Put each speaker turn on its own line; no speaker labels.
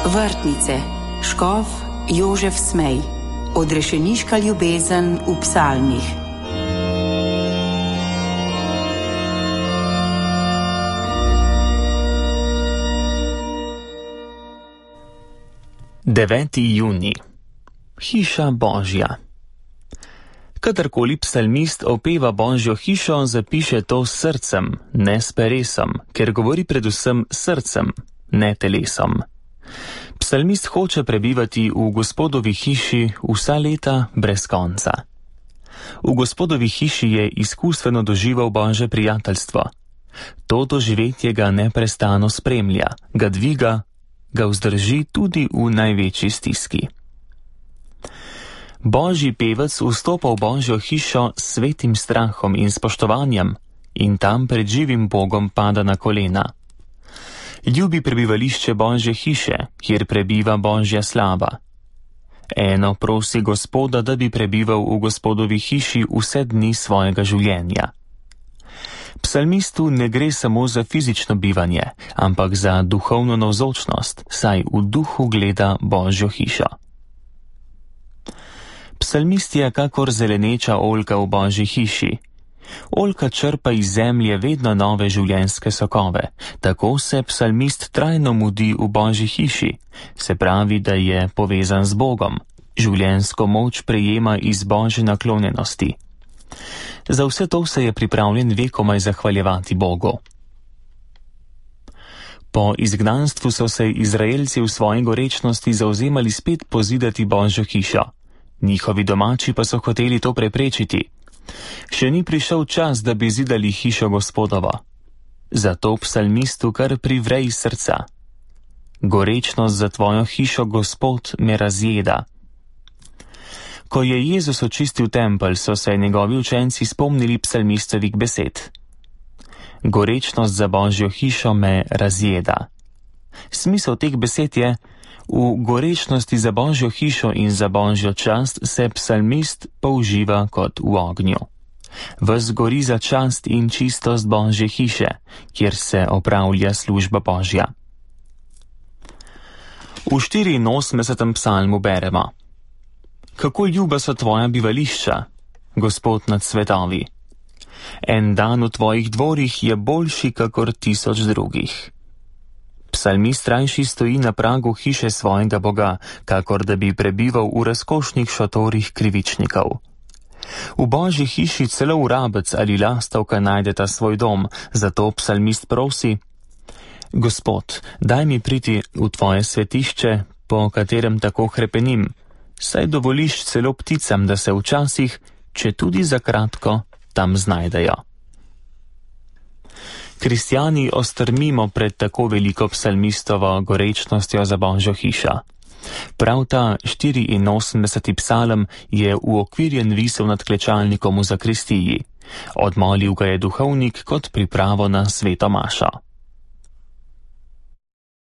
Vrtnice, škof Jožef Smej, odrešeniška ljubezen v psalmih.
Juni. Hiša Božja. Kadarkoli psalmist opeva Božjo hišo, zapiše to s srcem, ne s peresom, ker govori predvsem srcem, ne telesom. Psalmist hoče prebivati v Gospodovi hiši vsa leta brez konca. V Gospodovi hiši je izkustveno doživel Božje prijateljstvo. To doživetje ga neprestano spremlja, ga dviga, ga vzdrži tudi v največji stiski. Božji pevec vstopa v Božjo hišo s svetim strahom in spoštovanjem in tam pred živim Bogom pada na kolena. Ljubi prebivališče Božje hiše, kjer prebiva Božja slava. Eno prosi Gospoda, da bi prebival v Gospodovi hiši vse dni svojega življenja. Psalmistu ne gre samo za fizično bivanje, ampak za duhovno navzočnost, saj v duhu gleda Božjo hišo. Psalmist je kakor zeleneča oljka v Božji hiši. Oljka črpa iz zemlje vedno nove življenjske sokove, tako se psalmist trajno mudi v Božji hiši, se pravi, da je povezan z Bogom, življenjsko moč prejema iz Božje naklonjenosti. Za vse to se je pripravljen vekomaj zahvaljevati Bogu. Po izgnanstvu so se Izraelci v svoji gorečnosti zauzemali spet pozidati Božjo hišo. Njihovi domači pa so hoteli to preprečiti. Še ni prišel čas, da bi zidali hišo Gospodovo. Zato psalmistu kar privre iz srca. Gorečnost za tvojo hišo, Gospod, me razjeda. Ko je Jezus očistil tempelj, so se njegovi učenci spomnili psalmistovih besed. Gorečnost za Božjo hišo me razjeda. Smisel teh besed je, v gorečnosti za Božjo hišo in za Božjo čast se psalmist použiva kot v ognju. Ves gori za čast in čistost Božje hiše, kjer se opravlja služba Božja. V 84. psalmu beremo: Kako ljuba so tvoja bivališča, Gospod nad svetovi. En dan v tvojih dvorih je boljši kakor 1000 drugih. Psalmist rajši stoji na pragu hiše svojega Boga, kakor da bi prebival v razkošnih šotorih krivičnikov. V Božji hiši celo vrabec ali lastovka najdeta svoj dom, zato psalmist prosi: Gospod, daj mi priti v tvoje svetišče, po katerem tako hrepenim, saj dovoliš celo pticam, da se včasih, če tudi za kratko, tam znajdejo. Kristjani ostrmimo pred tako veliko psalmistovo gorečnostjo za Božjo hišo. Prav ta 84. psalm je uokvirjen visel nad klečalnikom v zakristiji. Odmolil ga je duhovnik kot pripravo na sveto mašo.